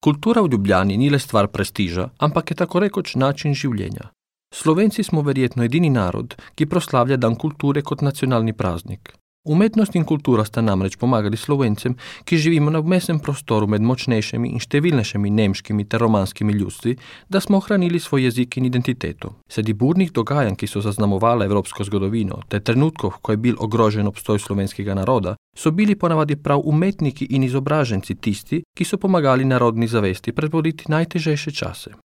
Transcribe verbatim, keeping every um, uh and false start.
Kultura v Ljubljani ni le stvar prestiža, ampak je tako rekoč način življenja. Slovenci smo verjetno edini narod, ki proslavlja dan kulture kot nacionalni praznik. Umetnost in kultura sta namreč pomagali Slovencem, ki živimo na vmesnem prostoru med močnejšimi in številnejšimi nemškimi ter romanskimi ljudstvi, da smo ohranili svoj jezik in identiteto. Sredi burnih dogajanj, ki so zaznamovala evropsko zgodovino, ter trenutkov, ko je bil ogrožen obstoj slovenskega naroda, so bili ponavadi prav umetniki in izobraženci tisti, ki so pomagali narodni zavesti prebroditi najtežejše čase.